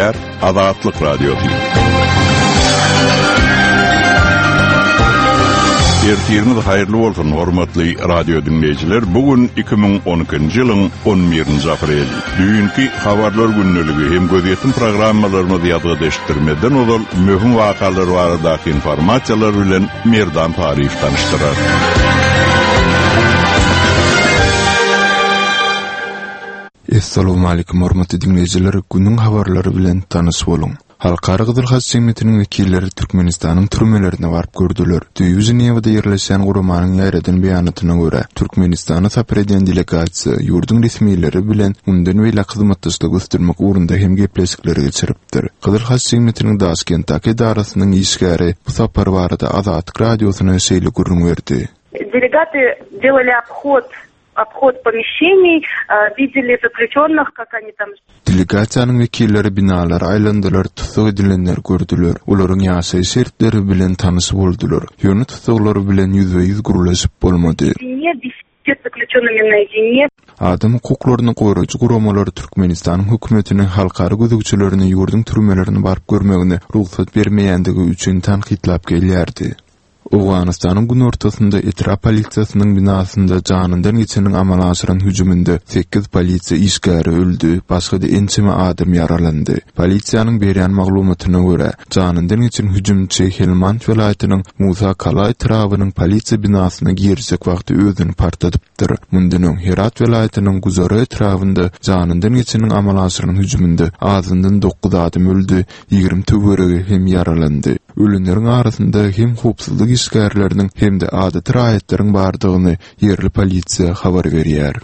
Gepleýär Azatlyk Radiosy. Ertiriňiz haýyrly bolsun, hormatly radio diňleýjiler! Bu gün 2012-nji ýylyň 11-nji apreli. Düýnki Habarlar gündeligi hem gözýetim programmalarymyzy ýazgyda eşitdirmezden ozal möhüm wakalar baradaky informasiýalar bilen Merdan Taryýew tanyşdyrar. Essalowmalikim hormatly diňleýjiler günüň habarlary bilen tanyş boluň. Halkara Gyzyl Haç jemgyýetiniň wekilleri Türkmenistanyň türmelerine baryp gördüler. Düýbi Ženewada ýerleşýän guramanyň ýaýradan beýanatyna görä, Türkmenistana sapar edýän delegasiýa ýurduň resmileri bilen mundan beýläk hyzmatdaşlygy ösdürmek ugrunda hem gepleşikleri geçiripdir. Gyzyl Haç jemgyýetiniň Daşkentdäki edarasynyň işgäri bu sapar barada Azatlyk Radiosyna şeýle gürrüň berdi. Delegaty delali obhod Obhod pomeşeniý, wideli zaklýuçennyh, kak oni tam. Delegasiýanyň wekilleri binalara aýlandylar, tussag edilenleri gördüler, olaryň ýaşaýyş şertleri bilen tanyş boldular. Ýöne tussaglar bilen ýüzbe-ýüz gürleşip bolmady. Adam hukuklaryny goraýjy guramalar Türkmenistanyň hökümetini halkara gözegçilerine ýurduň türmelerine baryp görmegine rugsat bermeýändigi üçin tankytlap gelýärdi. Owganystanyň günortasynda etrap polisiýasynyň binasynda janyndan geçeniň amala aşyran hüjüminde sekiz polisiýa işgäri öldi, başga-da ençeme adam ýaralandy. Polisiýanyň berýän maglumatyna görä, janyndan geçen hüjümçi Helmand welaýatynyň Musa Kala etrabynyň polisiýa binasyna girjek wagty özüni partladypdyr. Mundan öň, Herat welaýatynyň Guzara etrabynda janyndan geçeniň amala aşyran hüjüminde azyndan dokuz adam öldi, 20 töweregi hem ýaralandy. Ölenleriň arasynda hem howpsuzlyk işgärleriniň hem-de adaty raýatlaryň bardygyny ýerli polisiýa habar berýär.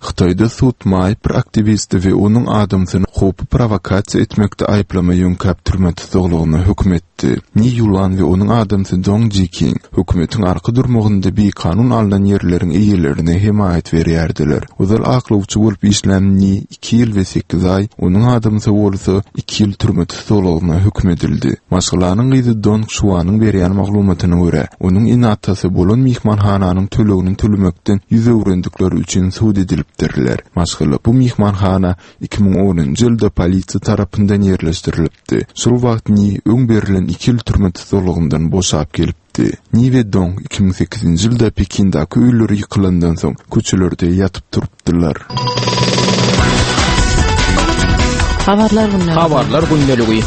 Hytaýda sud maýyp bir aktiwisti we onuň adamsyny howpy prowokasiýa etmekde aýyplama ýöňkäp türme tussaglygyna höküm etdi. Ni Ýulan we onuň adamsy Dong Jiking hökümetiň arka durmagynda bikanun alnan ýerleriň eýelerine hemaýat berýärdiler. Ozal aklawçy bolup işlän Ni iki ýyl we sekiz aý, onuň adamsy bolsa iki ýyl türme tussaglygyna höküm edildi. Maşgalanyň gyzy Dong Şuanyň berýän maglumatyna görä, onuň ene-atasy bolan myhmanhananyň tölegini tölemekden ýüz öwrendikleri üçin sud edilipdirler. Maşgala bu myhmanhana 2010-njy ýylda polisiýa tarapyndan ýerleşdirilipdi. Şol wagt Ni öň berlen iki ýyl türme tussaglygyndan boşap gelipdi. Ni we Dong 2008-nji ýylda Pekindäki öýleri ýykylandan soň köçelerde ýatyp turupdylar. Habarlar gündeligi. Habarlar gündeligi.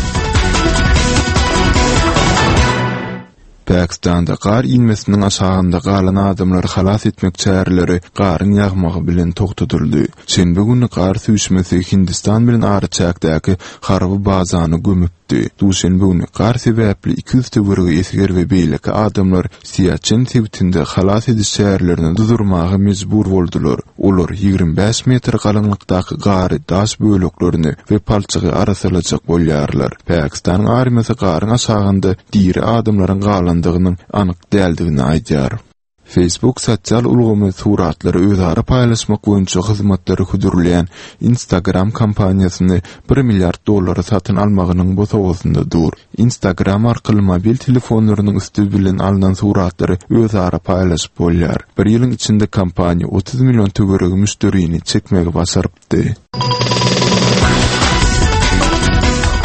Pakistanda gar inmesiniň aşagynda galan adamlary halas etmek çäreleri garyň ýagmagy bilen togtadyldy. Şenbe güni gar süýşmesi Hindistan bilen araçäkdäki harby bazany gömüp çykdy. Duşenbe güni gar sebäpli 200 töweregi esger we beýleki adamlar Siaçen sebitinde halas ediş çärelerini durdurmaga mejbur boldular. Olar 25 metr galyňlykdaky gary, daş böleklerini we palçygy arassalajak bolýarlar. Pakistanyň armiýasy garyň aşagynda diri adamlaryň galandygynyň anyk däldigini aýdýar. Facebook sosial ulgamy suratlary özara paýlaşmak boýunça hyzmatlary hödürleýän Instagram kompaniýasyny bir milliard dollara satyn almagynyň bosagasynda dur. Instagram arkaly mobil telefonlarynyň üsti bilen alnan suratlary özara paýlaşyp bolýar. Bir ýylyň içinde kompaniýa 30 million töweregi müşderini çekmegi başarypdy.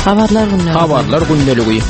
Habarlar gündeligi. Habarlar gündeligi.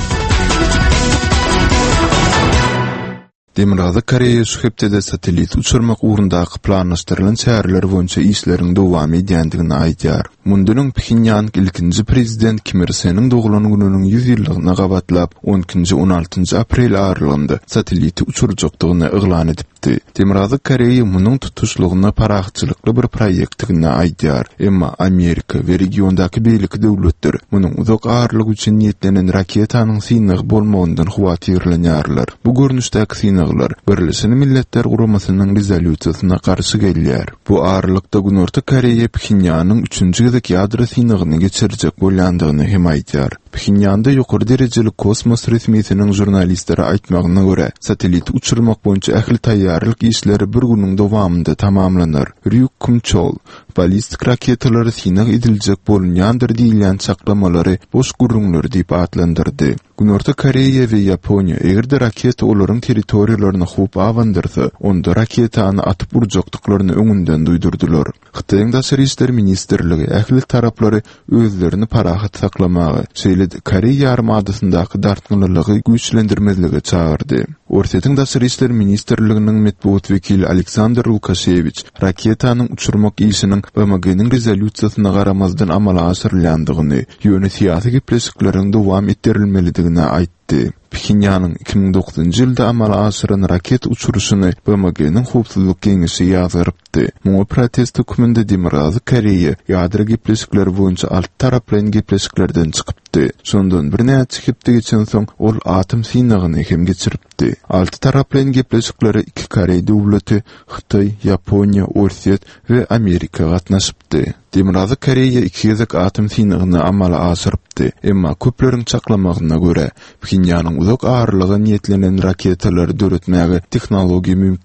Demirgazyk Koreýa şu hepdede satellit uçurmak ugrundaky planlaşdyrylan çäreler boýunça işleriň dowam edýändigini aýdýar. Mundan öň Phenýang ilkinji prezident Kim Ir Seniň doglan gününiň 100 ýyllygyna gabatlap, on ikinji-on altynjy aprel aralygynda satelliti uçurjakdygyny yglan edipdi. Demirgazyk Koreýa munuň tutuşlygyna parahatçylykly bir proýektdigini aýdýar. Emma Amerika we regiondaky beýleki döwletler munuň uzak aralyk üçin niýetlenen raketanyň synagy bolmagyndan howatyrlanýarlar. Bu görnüşdäki synaglar Birleşen Milletler Guramasynyň rezolýusiýasyna garşy gelýär. Bu aralykda Günorta Koreýa Phenýanyň üçünji gezek ýadro synagyny geçirjek bolýandygyny hem aýdýar. Phenýanda ýokary derejeli kosmos resmisiniň žurnalistlere aýtmagyna görä, satelliti uçurmak boýunça ähli taýýarlyk işleri bir günüň dowamynda tamamlanar. Rýuk Kum-Çol, ballistik raketalary synag ediljek bolunýandyr diýilýän çaklamalary boş gürrüňler diýip atlandyrdy. Günorta Koreýa we Ýaponiýa eger-de raketa olaryň territoriýalaryna howp abandyrsa, onda raketany atyp urjakdyklaryny öňünden duýdurdylar. Hytaýyň Daşary işler ministrligi ähli taraplary özlerini parahat saklamaga, şeýle-de Koreý ýarymadasyndaky dartgynlylygy güýçlendirmezlige çagyrdy. Orsýetiň Daşary işler ministrliginiň metbugat wekili Aleksandr Lukaşewiç raketanyň uçurmak işiniň BMG-niň rezolýusiýasyna garamazdan amala aşyrylýandygyny, ýöne syýasy gepleşikleriň dowam etdirilmelidigini aýtdy. Phenýanyň 2009-njy ýylda amala aşyran raketa uçuryşyny BMG-niň Howpsuzlyk Geňeşi ýazgarypdy. Muňa protest hökmünde Demirgazyk Koreýa ýadro gepleşikleri boýunça altytaraplaýyn gepleşiklerden çykypdy. Şondan birnäçe hepde geçensoň, ol atom synagyny hem geçiripdi. Altytaraplaýyn gepleşiklere iki koreý döwleti, Hytaý, Ýaponiýa, Orsýet we Amerika gatnaşypdy. Demirgazyk Koreýa iki gezek atom synagyny amala aşyrypdy, emma köpleriň çaklamagyna görä, Phenýanyň uzak aralyga niýetlenen raketalary döretmäge tehnologiýa mümkin.